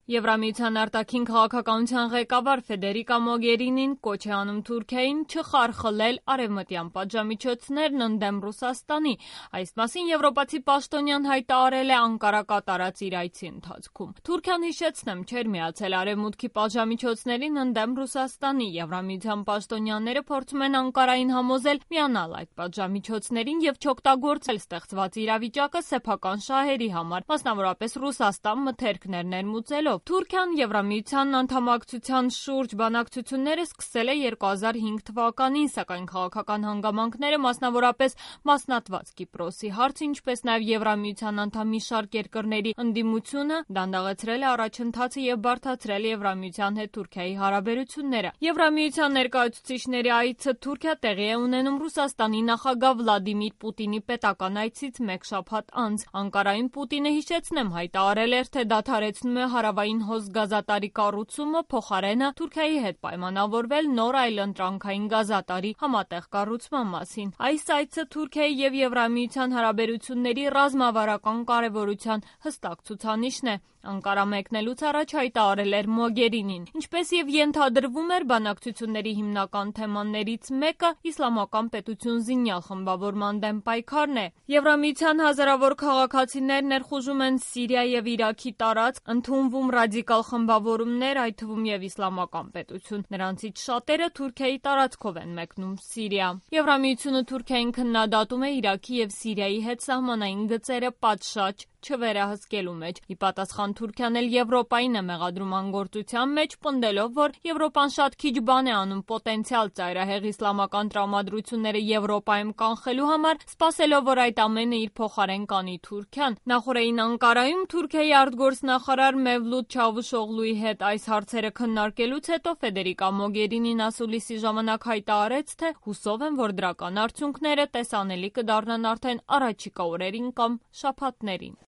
Եվրամիության արտաքին քաղաքականության ղեկավար Ֆեդերիկա Մոգերինին կոչ է անում Թուրքիային չխարխլել արևմտյան պատժամիջոցներն ընդդեմ Ռուսաստանի։ Այս մասին եվրոպացի պաշտոնյան հայտարարել է Անկարա կատարած իր այցի ընթացքում։ Թուրքիան, հիշեցնեմ, չէր միացել արևմուտքի պատժամիջոցներին ընդդեմ Ռուսաստանի։ Եվրամիության պաշտոնյաները փորձում են Անկարային համոզել միանալ այդ պատժամիջոցներին եւ չօգտագործել ստեղծված իրավիճակը սեփական շահերի համար, մասնավորապես Ռուսաստան մթերքներ ներմուծելով։ Թուրքիան Եվրամիության անդամակցության շուրջ բանակցությունները սկսել է 2005 թվականին, սակայն քաղաքական հանգամանքները, մասնավորապես մասնատված Կիպրոսի հարցը, ինչպես նաև Եվրամիության անդամ մի շարք երկրների ընդդիմությունը դանդաղեցրել է առաջընթացը եւ բարդացրել Եվրամիության հետ Թուրքիայի հարաբերությունները։ Եվրամիության ներկայացուցիչների այցը Թուրքիա տեղի է ունենում Ռուսաստանի նախագահ Վլադիմիր Պուտինի պետական այցից մեկ շաբաթ անց։ Անկարային Պուտինը, հիշեցնեմ, հայտարարել էր, թե դադարեցնում է հարավային հոս գազատարի կառուցումը, փոխարենը Թուրքիայի հետ պայմանավորվել նոր այլընտրանքային գազատարի համատեղ կառուցման մասին։ Այս այցը Թուրքիայի եւ Եվրամիության հարաբերությունների ռազմավարական կարեւորության հստակ ցուցանիշն է։ Անկարա մեկնելուց առաջ հայտարարել էր Մոգերինին։ Ինչպես եւ ենթադրվում էր, բանակցությունների հիմնական թեմաներից մեկը իսլամական պետություն զինյալ խմբավորման դեմ պայքարն է։ Եվրամիության հազարավոր քաղաքացիներ ներխուժում են Սիրիա եւ Իրաքի տարածք, ընդունվում ռադիկալ խմբավորումներ, այդ թվում եւ իսլամական պետություն։ Նրանցից շատերը Թուրքիայի տարածքով են մեկնում Սիրիա։ Եվրամիությունը Թուրքիային քննադատում է Իրաքի եւ Սիրիայի հետ սահմանային գծերը պատշաճ չվերահսկելու մեջ։ Ի պատասխան Թուրքիան էլ Եվրոպային է մեղադրում անգործության մեջ, պնդելով, որ Եվրոպան շատ քիչ բան է անում պոտենցիալ ծայրահեղ իսլամական տրամադրությունները Եվրոպայում կանխելու համար, սպասելով, որ այդ ամենը իր փոխարեն կանի Թուրքիան։ Նախորդային Անկարայում Թուրքիայի արտգործնախարար Մևլութ Չավուշօղլուի հետ այս հարցերը քննարկելուց հետո Ֆեդերիկա Մոգերինին ասուլիսի ժամանակ հայտարարեց, թե հուսով են, որ դրական արդյունքները տեսանելի կդառնան արդեն առաջիկա օրերին կամ շաբաթներին։